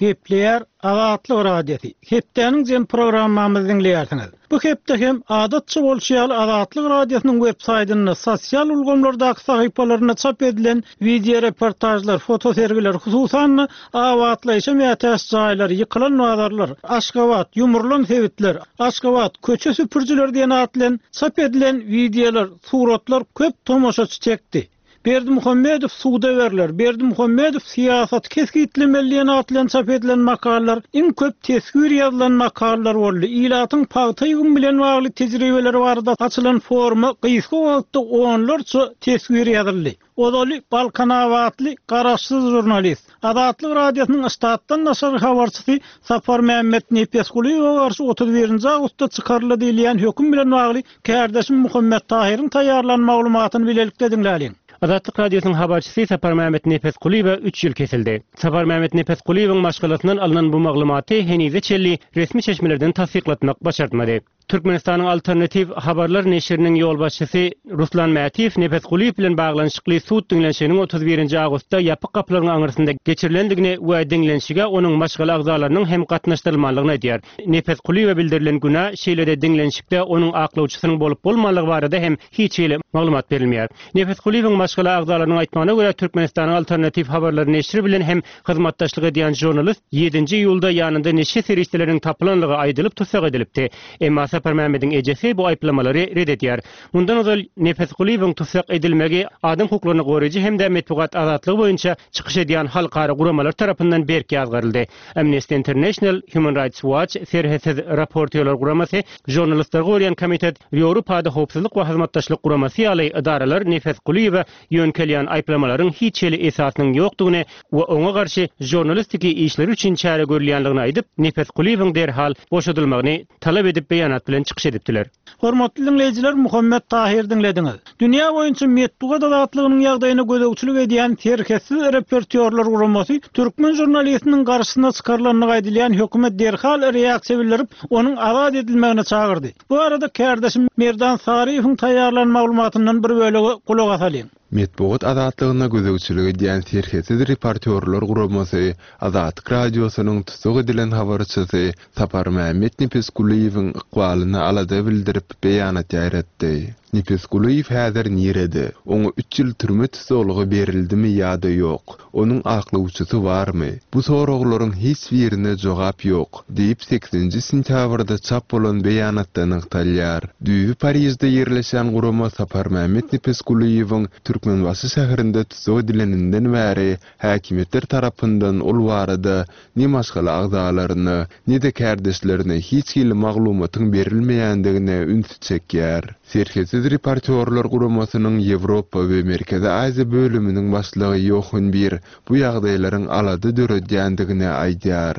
Gepleýär Azatlyk Radiosy. Hepdäniň jem programmamyzy diňleýärsiňiz. Bu hepde hem adatça bolşy ýaly Azatlyk Radiosynyň web saýtynda, sosial ulgamlardaky sahypalarynda çap edilen wideoreportažlar, fotosergiler, hususan-da, abatlaýşa mätäç jaýlar, ýykylan bazarlar, Aşgabat, ýumrulan sebitler, Aşgabat, köçe süpürijileri diýen at bilen çap edilen wideolar, suratlar köp tomaşaçy çekdi. Berdimuhamedow suda berler, Berdimuhamedow syýasaty kesgitlemeli diýen at bilen çap edilen makalalar iň köp teswir ýazylan makalalar boldy. Ilatyň pagta ýygymy bilen bagly tejribeleri barada açylan foruma gysga wagtda onlarça teswir ýazyldy. Ozaly balkanabatly garaşsyz žurnalist, Azatlyk Radiosynyň ştatdan daşary habarçysy Saparmämmet Nepesgulyýewe garşy 31 nji awgustda çykaryldy diýilýän höküm bilen bagly Kärdeşim Muhammet Tahyryň taýýarlan maglumatyny bilelikde diňläliň. Azatlyk Radiosynyň habarçysy Saparmämmet Nepesgulyýewe üç ýyl kesildi. Saparmämmet Nepesgulyýewiň maşgalasyndan alnan bu maglumaty henize çenli resmi çeşmelerden tassyklatmak başartmady. Türkmenistanyň Alternatiw habarlar neşiriniň ýolbaşçysy Ruslan Mätiýew Nepesgulyýew bilen baglanyşykly sud diňlenişiginiň 31 nji awgustda ýapyk gapylaryň aňyrsynda geçirilendigini we diňlenişige onuň maşgala agzalarynyň hem gatnaşdyrylmanlygyny aýdýar. Nepesgulyýewe bildirilen günä, şeýle-de diňlenişikde onuň aklawçysynyň bolup-bolmanlygy barada hem hiç hili maglumat berilmeýär. Nepesgulyýewiň maşgala agzalarynyň aýtmagyna görä, Türkmenistanyň Alternatiw habarlary neşiri bilen hem hyzmatdaşlyk edýän žurnalist ýedinji iýulda ýanynda neşe serişdeleriniň tapylanlygy aýdylyp tussag edilipdi. Emma Saparmämmediň ejesi bu aýyplamalary ret edýär. Mundan ozal Nepesgulyýewiň tussag edilmegi adam hukuklaryny goraýjy hem-de metbugat azatlygy boýunça çykyş edýän halkara guramalar tarapyndan berk ýazgaryldy. Amnesty International, Human Rights Watch, Serhetsiz raportýorlar guramasy, Žurnalistleri goraýan komitet, Ýewropada Howpsuzlyk we Hyzmatdaşlyk Guramasy ýaly edaralar Nepes Kulyýewe ýöňkelýän aýyplamalaryň hiç hili esasynyň ýokdugyny we oňa garşy žurnalistiki işleri üçin çäre görülýänligini aýdyp, Nepes Kulyýewiň derhal boşadylmagyny talap edip beýanat bilen çykyş edipdiler. Hormatly diňleýjiler Muhammet Tahyr diňlediňiz. Dünýä boýunça metbugat azatlygynyň ýagdaýyna gözegçilik edýän Serhetsiz reportýorlar guramasy türkmen žurnalistiniň garşysyna çykarylandygy aýdylýan höküme derhal reaksiýa bildirip, onuň azat edilmegine çagyrdy. Bu barada kärdeşim Merdan Saryýewiň taýýarlan maglumatyndan bir bölege gulak asalyň. Metbugat azatlygyna gözegçilik edýän Serhetsiz reportýorlar guramasy Azatlyk Radiosynyň tussag edilen habarçysy Saparmämmet Nepesgulyýewiň ykbalyna alada bildirip, beýanat ýaýratdy. Nepesgulyýew häzir nirede? Oňa üç ýyl türme tussaglygy berildimi ýa-da ýok? Onuň aklawçysy barmy? Bu soraglaryň hiç birine jogap ýok, diýip, sekizinji sentýabrda çap bolan beýanatda nygtalýar. Düýbi Parižde ýerleşýän gurama Saparmämmet Nepesgulyýewiň Türkmenbaşy şäherinde tussag edileninden bäri häkimiýetler tarapyndan ol barada ne maşgala agzalaryna, ne-de kärdeşlerine hiç hili maglumatyň berilmeýändigine ünsi çekýär. Serhetsiz reportýorlar guramasynyň Ýewropa we Merkezi Aziýa bölüminiň başlygy Ýohan Bir bu ýagdaýlaryň alada döredýändigini aýdýar.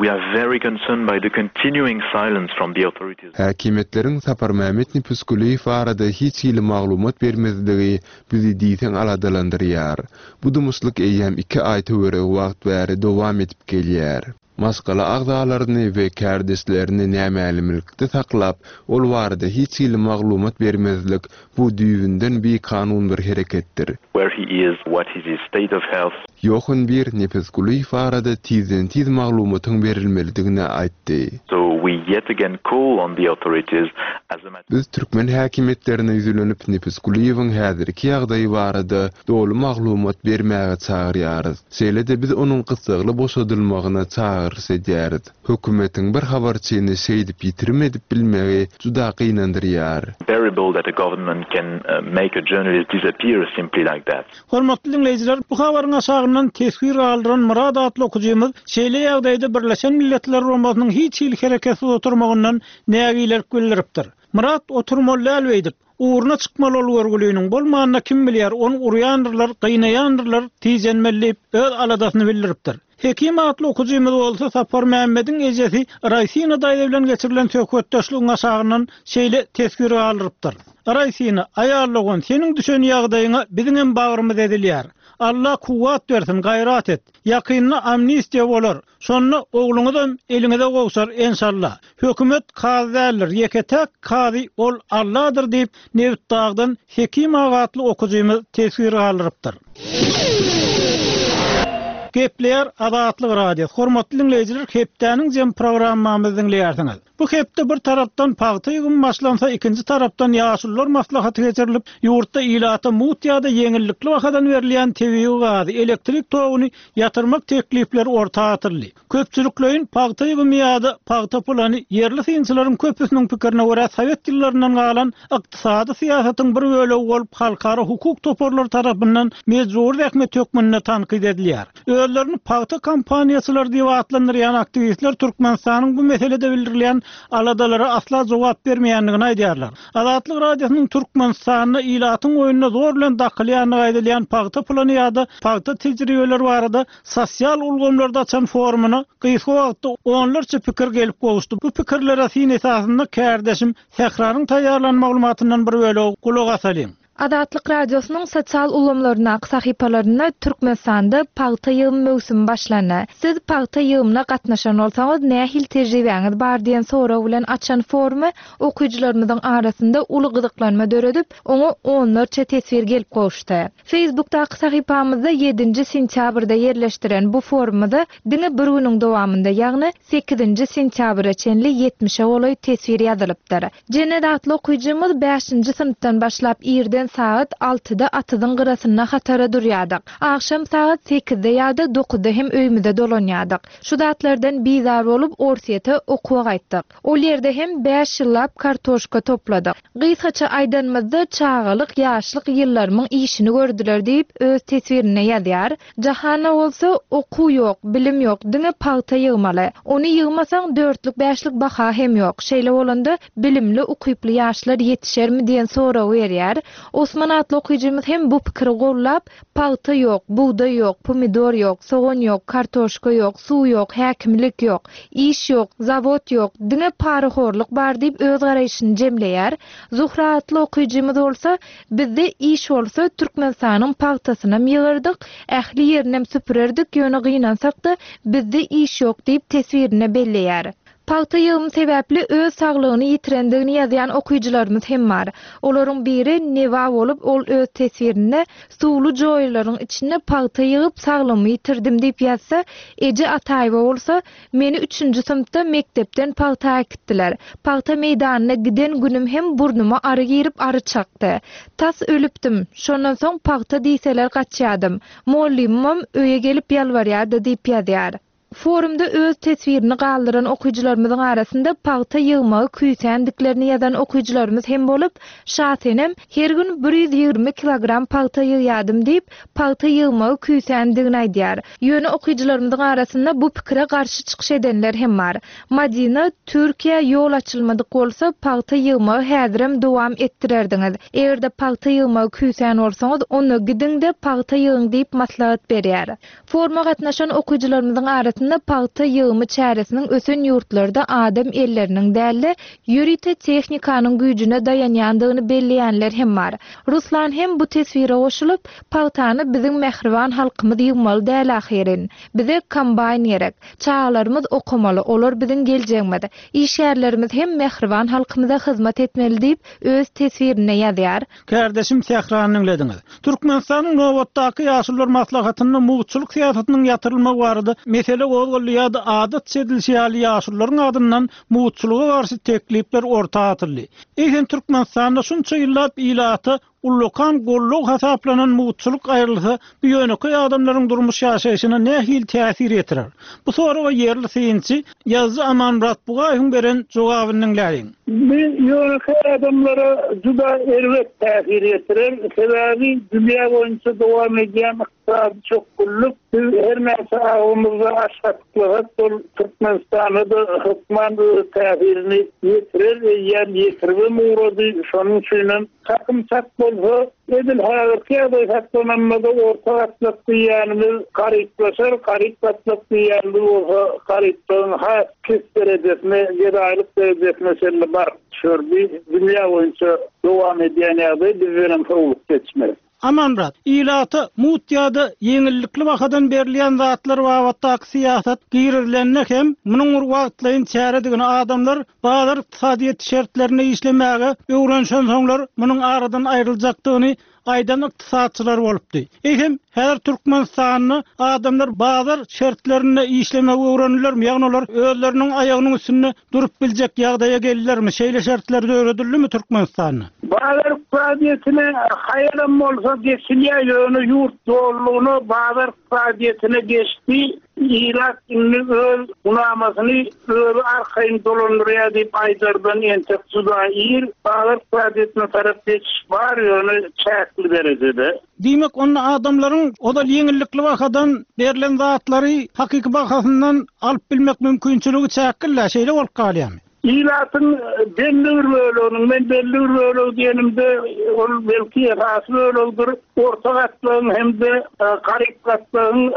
We are very concerned by the continuing silence from the authorities. Häkimiýetleriň Saparmämmet Nepesgulyýew barada hiç hili maglumat bermezligi bizi diýseň aladalandyrýar. Bu dymyşlyk eýýäm iki aý töweregi wagt bäri dowam edip gelýär. Maşgala agzalaryny we kärdeşlerini nämälimlikde saklap, ol barada hiç hili maglumat bermezlik, bu düýbünden bikanun bir hereketdir. Where he is, what is his state of health. Ýohan Bir Nepesgulyýew barada tizden-tiz maglumatyň berilmelidigini aýtdy. So we yet again call on the authorities as a matter. Biz türkmen häkimiýetlerine ýüzlenip, Nepesgulyýewiň häzirki ýagdaýy barada doly maglumat bermäge çagyrýarys. Şeýle-de biz onuň gyssagly boşadylmagyna çagyryş edýäris. Hökümetiň bir habarçyny şeýdip ýitirim edip bilmegi juda gynandyrýar. Bearable that a government can make a journalist disappear simply like that. Hormatly diňleýjiler, bu habaryň aşagyndan teswir galdyran Myrat atly okyjymyz şeýle ýagdaýda Birleşen Milletler Guramasynyň hiç hili hereketsiz oturmagyndan nägilelik bildiripdir. Myrat oturmaly däl beýdip. Ugruna çykmaly ol görgüliniň, bolmanda kim bilýär, ony urýandyrlar, gynaýandyrlar, tijenmeli diýip, öz aladasyny bildiripdir. Hekim atly okyjymyz bolsa Saparmämmediň ejesi Raýsina daýza bilen geçirilen söhbetdeşligiň aşagyndan şeýle teswir galdyrypdyr, Raýsina, aýal dogan, seniň düşen ýagdaýyňa biziňem bagrymyz ezilýär. Alla kuwwat bersin, gaýrat et. Ýakynda amnistiýa bolar. Şonda ogluňyzam eliňize gowşar enşalla. Hökümet kazy däldir, ýeke-täk kazy ol Alladyr diýip, Nebitdagdan Hekim aga atly okyjymyz teswir galdyrypdyr. Gepleýär Azatlyk Radiosy. Hormatly diňleýjiler, hepdäniň jemi programmamyzy diňleýärsiňiz. Bu hepde bir tarapdan pagta ýygymy başlansa, ikinji tarapdan ýaşulular maslahaty geçirilip, ýurtda ilata mugt ýa-da ýeňillikli bahadan berilýän tebigy gazy, elektrik toguny ýatyrmak teklipleri orta atyldy. Köpçülikleýin pagta ýygymy ýa-da pagta plany ýerli synçylaryň köpüsiniň pikirine görä sowet ýyllaryndan galan ykdysady syýasatyň bir bölegi bolup halkara hukuk toparlary tarapyndan mejbury zähmet hökmünde tankyt edilýär. Özlerini pagta kampaniýaçylary diýip atlandyrýan aktiwistler Türkmenistanyň bu meselede bildirilýän aladalara asla jogap bermeýändigini aýdýarlar. Azatlyk Radiosynyň Türkmenistanda ilatyň oýnuna zor bilen dakylýandygy aýdylýan pagta plany ýa-da pagta tejribeleri barada sosial ulgamlarda açan forumyna gysga wagtda onlarça pikir gelip gowuşdy. Bu pikirlere syn esasynda kärdeşim Sähranyň taýýarlan maglumatyndan bir bölegi gulak asalyň. Azatlyk Radiosynyň sosial ulgamlaryndaky sahypalarynda Türkmenistanda pagta ýygym möwsümi başlandy. Siz pagta ýygymyna gatnaşan bolsaňyz, nähili tejribäňiz bar diýen sorag bilen açan forumy okyjylarymyzyň arasynda uly gyzyklanma döredip, oňa onlarça teswir gelip gowuşdy. Facebookdaky sahypamyzda ýedinji sentýabrda ýerleşdiren bu forumyza diňe bir günüň dowamynda, ýagny sekizinji sentýabra çenli ýetmişe golaý teswir ýazylypdyr. Jennet atly okyjymyz bäşinji synpdan başlap irden sagat altyda atyzyň gyrasynda hatara durýardyk. Agşam sagat sekizde ýa-da dokuzda hem öýümize dolanýardyk. Şu zatlardan bizar bolup Orsýete okuwa gaýtdyk. Ol ýerde hem bäş ýyllap kartoşka topladyk. Gysgaça aýdanymyzda çagalyk, ýaşlyk ýyllarymyň işini gördüler diýip öz teswirinde ýazýar. Jahanda bolsa okuw ýok, bilim ýok, diňe pagta ýygmaly. Ony ýygmasaň dörtlük-bäşlik baha hem ýok. Şeýle bolanda bilimli, ukyply ýaşlar ýetişermi diýen soragy berýär. Osman atly okyjymyz hem bu pikiri gollap, Pagta ýok, bugdaý ýok, pomidor ýok, sogan ýok, kartoşka ýok, suw ýok, häkimlik ýok, iş ýok, zawod ýok, diňe parahorluk bar diýip öz garaýşyny jemleýär. Zuhra atly okyjymyz bolsa, Bizde iş bolsa Türkmenistanyň pagtasynam ýygardyk, ähli ýerinem süpürerdik, ýöne gynansak-da bizde iş ýok diýip teswirinde belleýär. Pagta ýygymy sebäpli öz saglygyny ýitirendigini ýazýan okyjylarymyz hem bar. Olaryň biri Neba bolup, ol öz teswirinde, Suwly joýalaryň içinde pagta ýygyp saglygymy ýitirdim diýip ýazsa, Eje Ataýewa bolsa, Meni üçünji synpda mekdepden pagta äkitdiler. Pagta meýdanyna giden günüm hem burnuma ary girip ary çakdy. Tas ölüpdim. Şondan soň pagta diýseler gaçýadym. Mollymymam öýe gelip ýalbarýardy diýip ýazýar. Forumda öz teswirini galdyran okyjylarymyzyň arasynda pagta ýygmagy küýsändiklerini ýazan okyjylarymyz hem bolup, Şasenem, Her gün 120 kilogram pagta ýygýadym diýip, pagta ýygmagy küýsändigini aýdýar. Ýöne okyjylarymyzyň arasynda bu pikire garşy çykyş edenler hem bar. Madina, Türkiýä ýol açylmadyk bolsa, pagta ýygmagy häzirem dowam etdirerdiňiz. Eger-de pagta ýygmagy küýsän bolsaňyz, onda gidiň-de pagta ýygyň diýip maslahat berýär. Foruma gatnaşan okyjylarymyzyň arasynda pagta ýygymy çäresiniň ösen ýurtlarda adam elleriniň däl-de, ýörite tehnikanyň güýjüne daýanýandygyny belleýänler hem bar. Ruslan hem bu teswire goşulyp, Pagtany biziň mähriban halkymyz ýygmaly däl ahyryn. Bize kombaýn gerek. Çagalarymyz okamaly, olar biziň geljegimiz. Işgärlerimiz hem mähriban halkymyza hyzmat etmeli diýip, öz teswirinde ýazýar. Kärdeşim Sährany diňlediňiz. Türkmenistanyň nobatdaky Ýaşulular maslahatynda mugtçulyk syýasatynyň ýatyrylmagy barada mesele gozgaldy ýa-da adatça edilişi ýaly ýaşulularyň adyndan mugtçulyga garşy teklipler orta atyldy. Eýsem Türkmenistanda şunça ýyllap ilata ullakan goldaw hasaplanan mugtçulyk aýrylsa bu ýönekeý adamlaryň durmuş ýaşaýşyna nähili täsir ýetirer? Bu soraga ýerli synçy, ýazyjy Amanmyrat Bugaýewiň beren jogabyny diňläliň. Bu ýönekeý adamlara juda erbet täsir ýetirer. Sebäbi dünýä boýunça dowam edýän ykdysady çökgünlik biz her näçe agzymyzda aş gatyklasak, ol Türkmenistana-da hökman öz täsirini ýetirer, eýýäm ýetiribem ugrady. Şonuň üçinem Çakym çak bolsa, edil häzirki ýagdaý saklananda-da orta gatlak diýýänimiz garyplaşar, garyp gatlak diýýänimiz bolsa garyplygyň has pes derejesine, gedaýlyk derejesine çenli baryp düşer. Bu dünýä boýunça dowam edýän ýagdaý, bizdenem sowlup geçmez. Amanmyrat, ilata mugt ýa-da ýeňillikli bahadan berilýän zatlar babatdaky syýasat girizilende hem munuň bir wagtlaýyn çäredigini, adamlar bazar ykdysadyýeti şertlerinde işlemäge öwrenişensoňlar munuň aradan aýryljakdygyny. aýdan ykdysatçylar bolupdy. Eýsem, häzir Türkmenistanda adamlar bazar şertlerinde işlemegi öwrendilermi, ýagny olar özleriniň aýagynyň üstünde durup biljek ýagdaýa geldilermi, şeýle şertler döredildimi Türkmenistanda? Bazar ykdysadyýetine haýalam bolsa geçilýär, ýöne ýurt dolulygyna bazar ykdysadyýetine geçdi, ilat indi öz gunamasyny özi arkaýyn dolandyrýar diýip aýdardan entek juda ir. Bazar ykdysadyýetine tarap geçiş bar, ýöne çäkli derejede. Diýmek, onda adamlaryň ozal ýeňillikli bahadan berlen zatlary hakyky bahasyndan alyp bilmek mümkinçiligi çäkli-dä, şeýle bolup galýarmy? Ilatyň belli bir böleginiň, men belli bir bölegi diýenimde, ol belki esasy bölegidir, orta gatlagyň hem-de garyp gatlagyň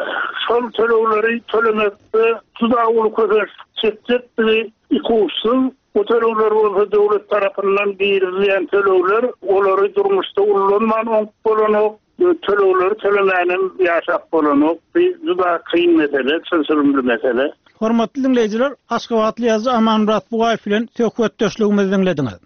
şol tölegleri tölemekde juda uly kösençlik çekjekdigi ikuçsuz. Bu tölegler bolsa döwlet tarapyndan girizilýän tölegler, olary durmuşda ullanman oňup bolanok, tölegleri tölemänem ýaşap bolanok. Bu juda kyn mesele, çylşyrymly mesele. Hormatly diňleýjiler, aşgabatly ýazyjy Amanmyrat Bugaýew bilen söhbetdeşligimizi diňlediňiz.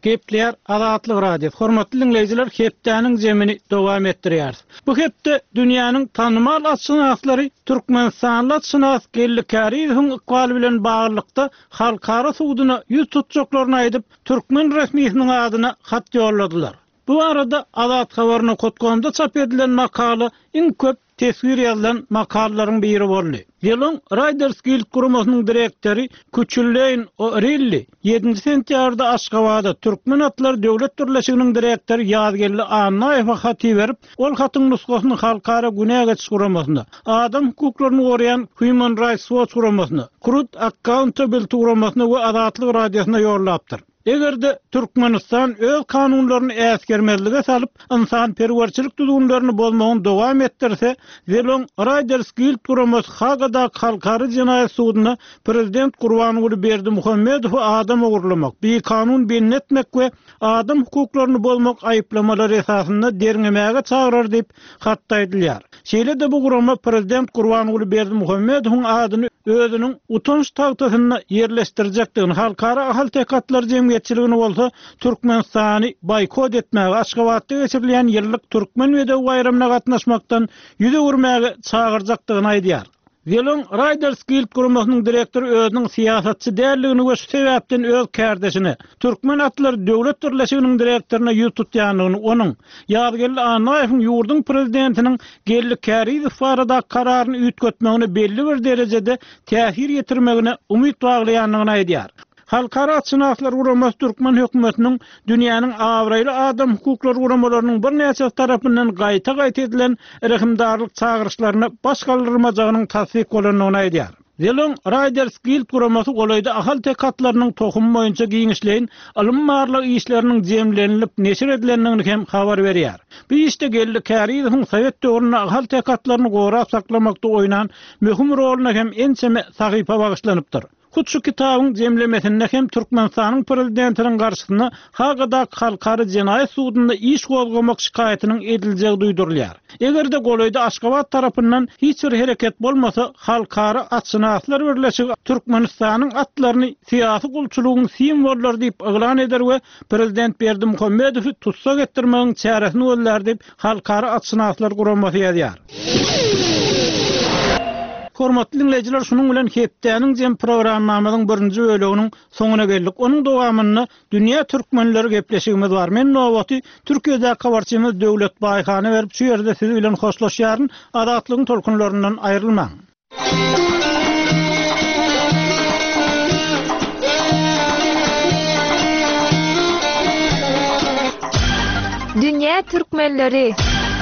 Gepleýär Azatlyk Radiosy. Hormatly diňleýjiler, hepdäniň jemini dowam etdirýäris. Bu hepde dünýäniň tanymal atşynaslary türkmenistanly atşynas Geldi Kärizowyň ykbaly bilen baglylykda halkara suduna ýüz tutjaklaryny aýdyp, türkmen resmisiniň adyna hat ýolladylar. Bu barada Azathabar.comda çap edilen makala iň köp teswir ýazylan makalalaryň biri boldy. Zelon Riders Guild guramasynyň direktory Küçülleýn O'Rilli ýedinji sentýabrda Aşgabada Türkmen atlary döwlet birleşiginiň direktory Ýazgeldi Annaýewe hat iberip, ol hatyň nusgasyny Halkara günä geçiş guramasyna, adam hukuklaryny goraýan Human Rights Watch guramasyna, Krud Accountability guramasyna we Azatlyk Radiosyna ýollapdyr. Eger-de Türkmenistan öz kanunlaryny äsgermezlige salyp, ynsanperwerçilik düzgünlerini bozmagyny dowam etdirse, Zelon Riders Guild guramasy Hagadaky Halkara jenaýat suduna prezident Gurbanguly Berdimuhamedowy adam ogurlamak, bikanun bendi etmek we adam hukuklaryny bozmak aýyplamalary esasynda derňemäge çagyrar diýip, Hatda aýdylýar. Şeýle-de bu gurama prezident Gurbanguly Berdimuhamedowyň adyny özüniň utanç tagtasynda ýerleşdirjekdigini, halkara ahalteke atlary jemgyýetçiligini bolsa Türkmenistany boýkot etmäge, Aşgabatda geçirilýän ýyllyk Türkmen bedewi baýramyna gatnaşmakdan ýüz öwürmäge çagyrjakdygyny aýdýar. Zelon Riders Guild guramasynyň direktory özüniň syýasatçy däldigini we şu sebäpden öz kärdeşine, Türkmen atlary döwlet birleşiginiň direktoryna ýüz tutýandygyny, onuň, Ýazgeldi Annaýewiň ýurduň prezidentiniň Geldi Kärizow baradaky kararyny üýtgetmegine belli bir derejede täsir ýetirmegine umyt baglaýandygyny aýdýar. Halkara atşynaslar guramasy türkmen hökümetiniň dünýäniň abraýly adam hukuklary guramalarynyň birnäçesi tarapyndan gaýta-gaýta edilen rehimdarlyk çagyryşlaryna baş galdyrmajagynyň tassyk bolandygyny aýdýar. Zelon Riders Guild guramasy golaýda ahalteke atlarynyň tohumy boýunça giňişleýin ylmy-barlag işleriniň jemlenilip neşir edilendigini hem habar berýär. Bu işde Geldi Kärizowyň sowet döwründe ahalteke atlaryny gorap saklamakda oýnan möhüm roluna hem ençeme sahypa bagyşlanypdyr. Hut şu kitabyň jemlemesinde hem Türkmenistanyň Prezidentiniň garşysyna Hagadaky Halkara jenaýat sudunda iş gozgamak şikaýatynyň ediljegi duýdurylýar. Eger-de golaýda Aşgabat tarapyndan hiç bir hereket bolmasa, Halkara atşynaslar birleşigi Türkmenistanyň atlaryny syýasy gulçulygyň simwollary diýip yglan eder we Prezident Berdimuhamedowy tussag etdirmegiň çäresini gözlär diýip, Halkara atşynaslar guramasy ýazýar. Hormatly diňleýjiler, şunuň bilen hepdäniň jem programmamyzyň birinji böleginiň soňuna geldik. Onuň dowamynda Dünýä türkmenleri gepleşigimiz bar. Men nobaty Türkiýedäki habarçymyz Döwlet Baýhana berip, şu ýerde siz bilen hoşlaşýaryn. Azatlygyň tolkunlaryndan aýrylmaň. Dünýä türkmenleri!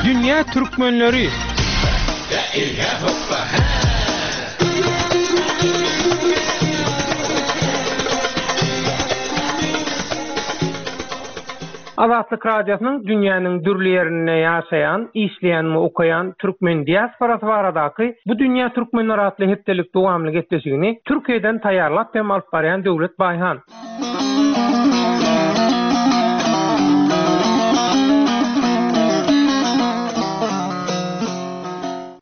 Dünýä türkmenleri! Azatlyk Radiosynyň dünýäniň dürli ýerinde ýaşaýan, işleýän we okaýan türkmen diasporasy baradaky Bu dünýä türkmenleri atly hepdelik dowamly gepleşigini Türkiýeden taýýarlap hem alyp barýan Döwlet Baýhan.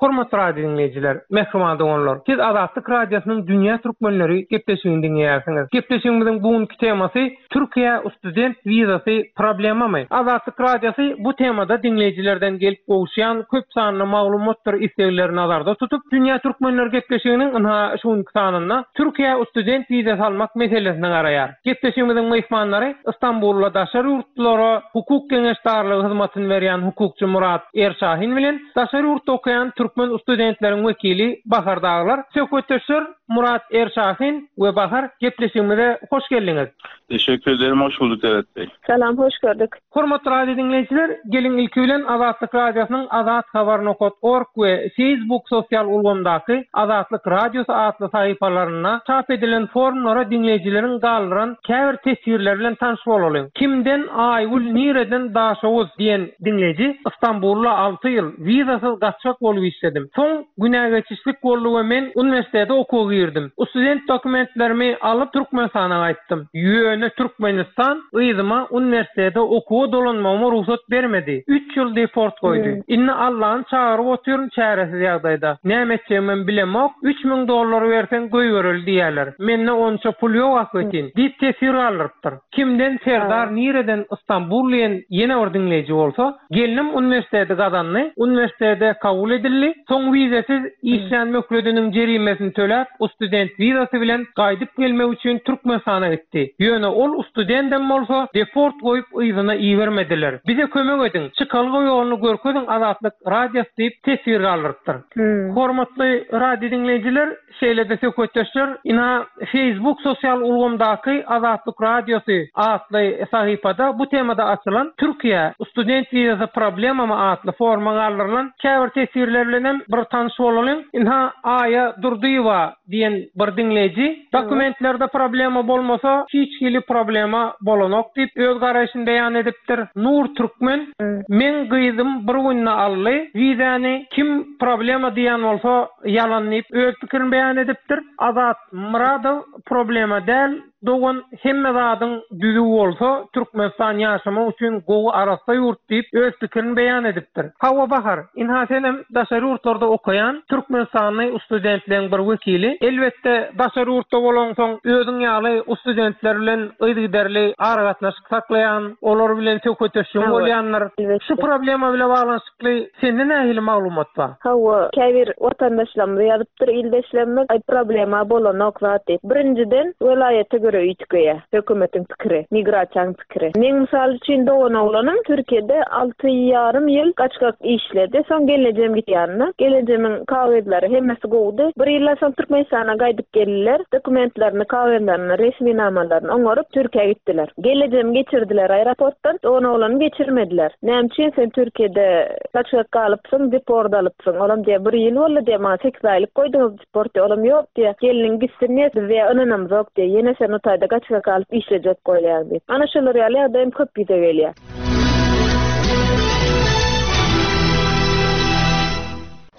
Hormatly radio diňleýjiler, mähriban doganlar! Siz Azatlyk Radiosynyň Dünýä Türkmenleri gepleşigini diňleýärsiňiz. Gepleşigimiziň bu günki temasy Türkiýä student wizasy problemamy? Azatlyk Radiosy bu temada diňleýjilerden gelip gowuşýan köp sanly maglumatdyr islegleri nazarda tutup, Dünýä Türkmenleri gepleşiginiň ynha şu günki sanynda Türkiýä student wizasy almak meselesine garaýar. Gepleşigimiziň myhmanlary Stambulda daşary ýurtlulara hukuk geňeşdarlygy hyzmatyny berýän hukukçy Murat Erşahin bilen daşary ýurtda okaýan türkmen studentleriň wekili Bahar Daglar. Söhbetdeşler Murat Erşahin we Bahar gepleşigimize hoş geldiňiz. Teşekkür ederim hoş bulduk Dewlet Bey. Salam hoş gördük. Hormatly radio diňleýjiler, geliň ilki bilen Azatlyk Radiosynyň Azat Habar nokat org we Facebook sosial ulgamdaky Azatlyk Radiosy atly sahypalarynda çap edilen forumlara diňleýjileriň galdyran käbir teswirleri bilen tanyş bolalyň. Kimden Aýgül nireden Daşoguz diýen diňleýji Stambulda alty ýyl wizasyz gaçgak bolup işledim. Soň günägeçişlik boldy we men uniwersitete okuwa girdim. Student dokumentlerimi alyp Türkmenistana gaýtdym. Ýöne Türkmenistan yzyma uniwersitete okuwa dolanmagyma rugsat bermedi. Üç ýyl deport goýdy. Indi Allany çagyryp otyryn çäresiz ýagdaýda. Näme etjegimem bilemok. 3000 dollar berseň goýbereli diýýärler. Mende onça pul ýok ahbetin. Diýip teswir galdyrypdyr. Kimden Serdar nireden Istanbul diýen ýene bir diňleýji bolsa, gelnim uniwersiteti gazandy, uniwersitete kabul edildi, soň wizesiz işlän möhlediniň jerimesini töläp ustudent wizasy bilen gaýdyp gelmek üçin Türkmenistana gitdi. Ýöne ol ustudendem bolsa deport goýup yzyna ibermediler. Bize kömek ediň, çykalga ýoluny görkeziň Azatlyk Radiosy diýip teswir galdyrypdyr. Hormatly radio diňleýjiler, Şeýle-de söhbetdeşler ina Facebook sosial ulgamdaky Azatlyk Radiosy atly sahypada bu temada açylan Türkiýä student wizasy problemamy atly foruma galdyrylan käbir teswirler bilenem bir tanyş bolalyň. Ynha Aýa Durdyýewa diýen bir diňleýji Dokumentlerde problema bolmasa hiç hili problema bolanok diýip öz garaýşyny beýan edipdir. Nur Türkmen Meň gyzym bir günde aldy wizäni kim problema diýen bolsa ýalan diýip öz pikirini beýan edipdir. Azat Myradow problema däl dogan hemme zadyň düzüw bolsa Türkmenistan ýaşamak üçin gowy arassa ýurt diýip öz pikirini beýan edipdir. Hawa Bahar ynha senem daşary ýurtlarda okaýan Türkmenistanly ustudentleň bir wekili. Elbetde daşary ýurtda bolaňsoň özüň ýaly ustudentler bilen yzygiderli aragatnaşyk saklaýan olar bilen söhbetdeşligiň bolýandyr. Şu problema bile baglanyşykly Ly sende nähili maglumat bar? Hawa, käbir watandaşlarymyz ýazypdyr, ildeşlerimiz, aý problema bolanok zat diýip. Birinjiden, welaýata görä üýtgeýär hökümetiň pikiri, migrasiýanyň pikiri. Meň mysal üçin doganoglanym Türkiýede alty ýarym ýyl gaçgak işledi, soň gelnejem gitdi ýanyna. Gelnejemiň kagyzlary hemmesi gowudy. Bir ýyldan soň Türkmenistana gaýdyp geldiler, dokumentlerini, kagyzlaryny, resminamalaryny oňaryp Türkiýä gitdiler. Gelnejemi geçirdiler aeroportdan, doganoglanymy geçirmediler. Näme üçin sen Türkiýede gaçgak galypsyň, deport alypsyň? Olam diýýär, bir ýyl boldy diýýär, maňa sekiz aýlyk goýduňyz deport diýýär. Olam ýok diýýär, gelniň gitsin diýýär, biz diýýär ynanamzok diýýär, ýene sen o taýda gaçgak galyp işlejek bolýaň diýip. Ana şolar ýaly ýagdaý hem köp ýüze gelýär.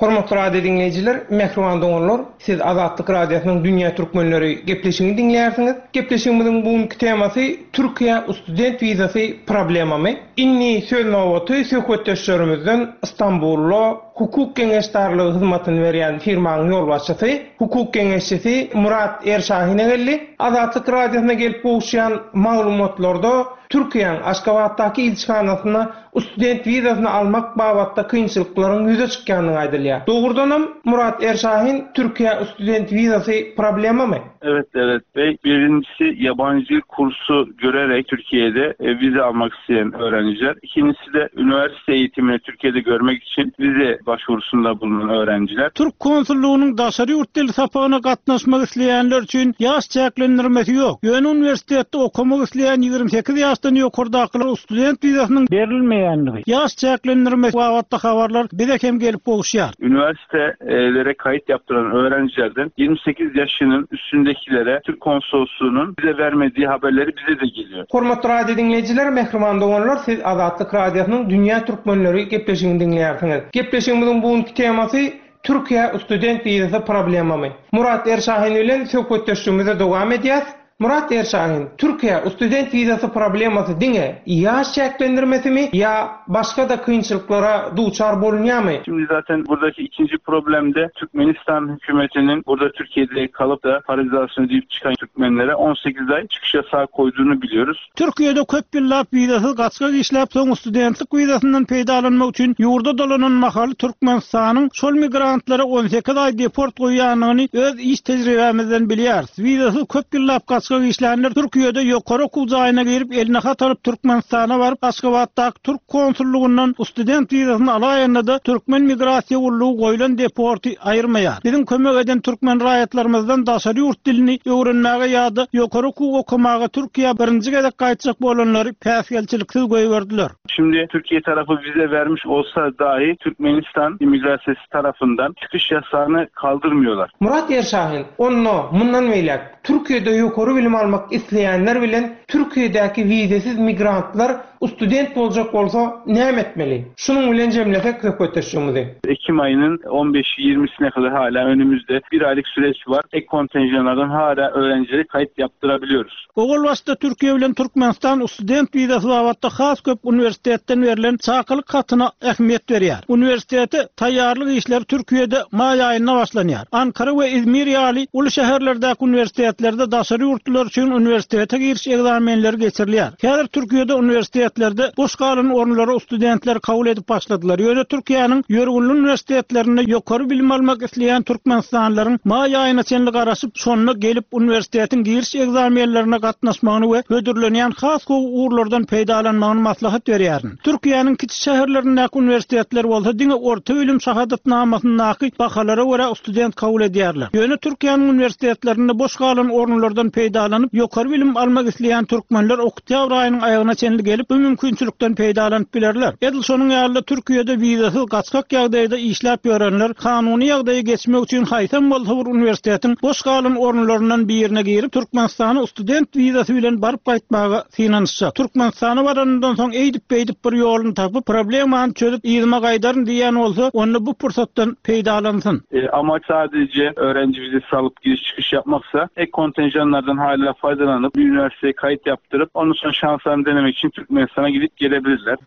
Hormatly radio diňleýjiler, mähriban doganlar, siz Azatlyk Radiosynyň Dünýä Türkmenleri gepleşigini diňleýärsiňiz. Gepleşigimiziň bu günki temasy Türkiýä student wizasy problemamy? Indi söz nobaty söhbetdeşlerimizden Stambulda hukuk geňeşdarlygy hyzmatyny berýän firmanyň ýolbaşçysy, hukuk geňeşçisi Murat Erşahine geldi. Azatlyk Radiosyna gelip gowuşýan maglumatlarda Türkiýäň Aşgabatdaky ilçihanasynda Student wizasyny almak babatda kynçylyklaryň ýüze çykýandygy aýdylýar. Dogrudanam, Murat Erşahin, Türkiýä student wizasy problemamy? Evet Devlet Bey, birincisi yabancı dil kursu görerek Türkiye'de vize almak isteyen öğrenciler. İkincisi de üniversite eğitimini Türkiye'de görmek için vize başvurusunda bulunan öğrenciler. Türk konsullygynyň daşary ýurt dili sapagyna gatnaşmak isleýänler üçin ýaş çäklendirmesi ýok. Ýöne uniwersitetde okamak isleýän 28 ýaşdan ýokardakylar student wizasynyň berilmeýändigi, ýaş çäklendirmesi babatda habarlar bize hem gelip gowuşýar. Üniversitelere kayıt yaptıran öğrencilerden 28 yaşının üstündekilere Türk konsolosluğunun bize vermediği haberleri bize de geliyor. Hormatly radio diňleýjiler, mähriban doganlar, siz Azatlyk Radiosynyň Dünýä Türkmenleri gepleşigini diňleýärsiňiz. Gepleşigimiziň bu günki temasy Türkiýä student wizasy problemamy? Murat Erşahin bilen söhbetdeşligimizi dowam edýäs. Murat Erşahin, Türkiýä student wizasy problemasy diňe ýaş çäklendirmesimi ýa başga-da kynçylyklara duçar bolunýarmy? Şimdi zaten buradaki ikinci problem de Türkmenistan hükümetinin burada Türkiye'de kalıp da para cezasını ödeyip çıkan Türkmenlere 18 ay çıkış yasağı koyduğunu biliyoruz. Türkiýede köp ýyllap wizasyz gaçgak işläp, soň studentlik wizasyndan peýdalanmak üçin ýurda dolanan mahaly Türkmenistanyň şol migrantlara 18 aý deport goýýandygyny öz iş tejribämizden bilýäris. Wizasyz köp ýyllap gaçgak işlänler Türkiýede ýokary okuw jaýyna girip, eline hat alyp Türkmenistana baryp, Aşgabatdaky türk konsullygyndan student wizasyny alaýanda-da türkmen migrasiýa gullugy goýlan deporty aýyrmaýar. Biziň kömek eden türkmen raýatlarymyzdan daşary ýurt dilini öwrenmäge ýa-da ýokary okuw okamaga Türkiýä birinji gezek gaýtjak bolanlary päsgelçiliksiz goýberdiler. Şimdi Türkiye tarapy vize vermiş olsa dahi Türkmenistan immigrasiýasy tarapyndan çykyş ýasagyny kaldyrmıyorlar. Murat Erşahin, Onda, mundan beýläk, Türkiýede ýokary bilim almak isleýänler bilen Türkiýedäki wizesiz migrantlar Student boljak bolsa näme etmeli? Şunuň bilen jemlesek söhbetdeşligimizi. Ekim aýynyň on beşi, ýigrimisine kadar hala önümizde bir aýlyk süreç bar. Ek kontenjanlardan hala öğrencilere kaýyt ýapdyrabiliyoruz. Owal başda Türkiýe bilen Türkmenistan student wizasy babatda has köp uniwersitetden berlen çakylyk hatyna ähmiýet berýär. Uniwersitete taýýarlyk işleri Türkiýede maý aýynda başlanýar. Ankara we Izmir ýaly uly şäherlerdäki uniwersitetlerde daşary ýurtlular üçin uniwersitete giriş ekzamenleri geçirilýär. Häzir Türkiýede uniwersitetlerde boş galan orunlara studentleri kabul edip başladylar. Ýöne Türkiýäniň ýörgünli uniwersitetlerinde ýokary bilim almak isleýän türkmenistanlylaryň maý aýyna çenli garaşyp, şonda gelip uniwersitetiň giriş ekzamenlerine gatnaşmagyny we hödürlenýän has gowy ugurlardan peýdalanmagyny maslahat berýärin. Türkiýäniň kiçi şäherlerindäki uniwersitetler bolsa diňe orta bilim şahadatnamasyndaky bahalara görä student kabul edýärler. Ýöne Türkiýäniň uniwersitetlerinde boş galan orunlardan peýdalanyp, ýokary bilim almak isleýän türkmenler oktýabr aýynyň aýagyna çenli gelip, bu mümkinçilikden peýdalanyp bilerler. Edil şonuň ýaly-da Türkiýede wizasyz gaçgak ýagdaýda işläp ýörenler kanuny ýagdaýa geçmek üçin haýsam bolsa bir uniwersitetiň boş galan orunlaryndan birine girip, Türkmenistana student wizasy bilen baryp gaýtmaga synanyşjak. Türkmenistana baranyndan soň eýdip-beýdip bir ýoluny tapyp, problemany çözüp yzyma gaýdaryn diýýän bolsa, onda bu pursatdan peýdalansyn. Amaç sadece öğrenci vizesi alyp giriş çıkış yapmaksa ek kontenjanlardan hala faydalanyp bir üniversiteye kayıt yaptırıp ondan sonra şanslarını denemek için Türkmenistana gidip gelebilirler.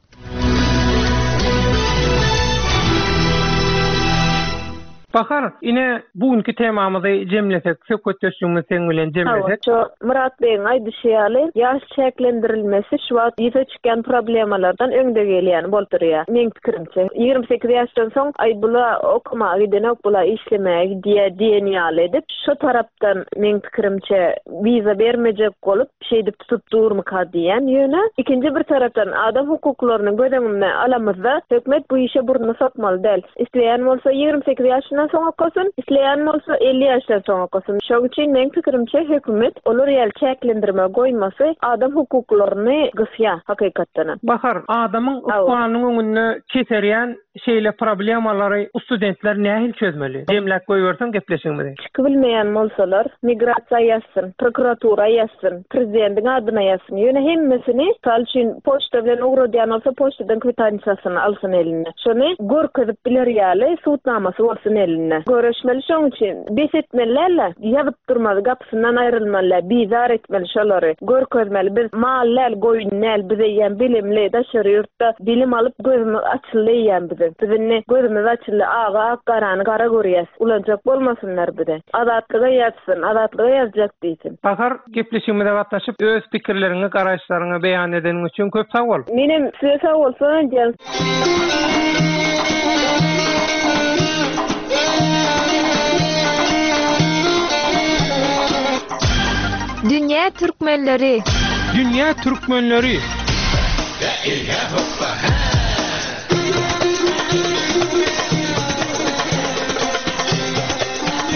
Bahar, ine, bu günki temamyzy jemlesek, söhbetdeşligimizi seň bilen jemlesek. Hawa, şo Myrat begiň aýdyşy ýaly, ýaş çäklendirilmesi şu wagt ýüze çykýan problemalardan öňde gelýän bolup durýar, meň pikirimçe. 28 ýaşdan soň, aý, bula okamaga gidenok, bula işlemäge gidýär diýen ýaly edip, şo tarapdan, meň pikirimçe, wiza bermejek bolup, şeýdip tutup durmyka diýýän. Ýöne, ikinji bir tarapdan, adam hukuklaryny göz öňüne alamyzda, hökümet bu işe burnuny sokmaly däl. Isleýän bolsa 28 ýaşyndan soň okasyn, isleýän bolsa 50 ýaşdan soň okasyn. Şoň üçin meň pikirimçe hökümet olar ýaly çäklendirme goýmasy adam hukuklaryny gysýar hakykatdanam. Bahar, adamyň ykbalynyň öňünde keserýän şeýle problemalary studentler nähili çözmeli? Jemläp goýberseň gepleşigimizi. Çykybilmeýän bolsalar, migrasiýa ýazsyn, prokuratura ýazsyn, prezidentiň adyna ýazsyn. Ýöne hemmesini, mysal üçin, poçta bilen ugradýan bolsa, poçtadan kwitansiýasyny alsyn eline. Şony görkezip biler ýaly sud namasy bolsun elinde. Göreşmeli şoň üçin. Bes etmeli däl-de, ýazyp durmaly, gapysyndan aýrylmaly däl, bizar etmeli şolary. Görkezmeli, biz mal däl, goýun däl, biz eýýäm bilimli, daşary ýurtda bilim alyp gözümiz açyldy eýýäm biziň. Biz indi gözümiz açyldy, agy ak, garany gara görýäs. Ulanjak bolmasynlar bizi. Azatlyga ýazsyn, Azatlyga ýazjak diýsin. Bahar, gepleşigimize gatnaşyp, öz pikirleriňi, garaýyşlaryňy beýan edeniň üçin köp sag bol! Menem size sag bolsun aýdýan. Dünýä türkmenleri! Dünýä türkmenleri!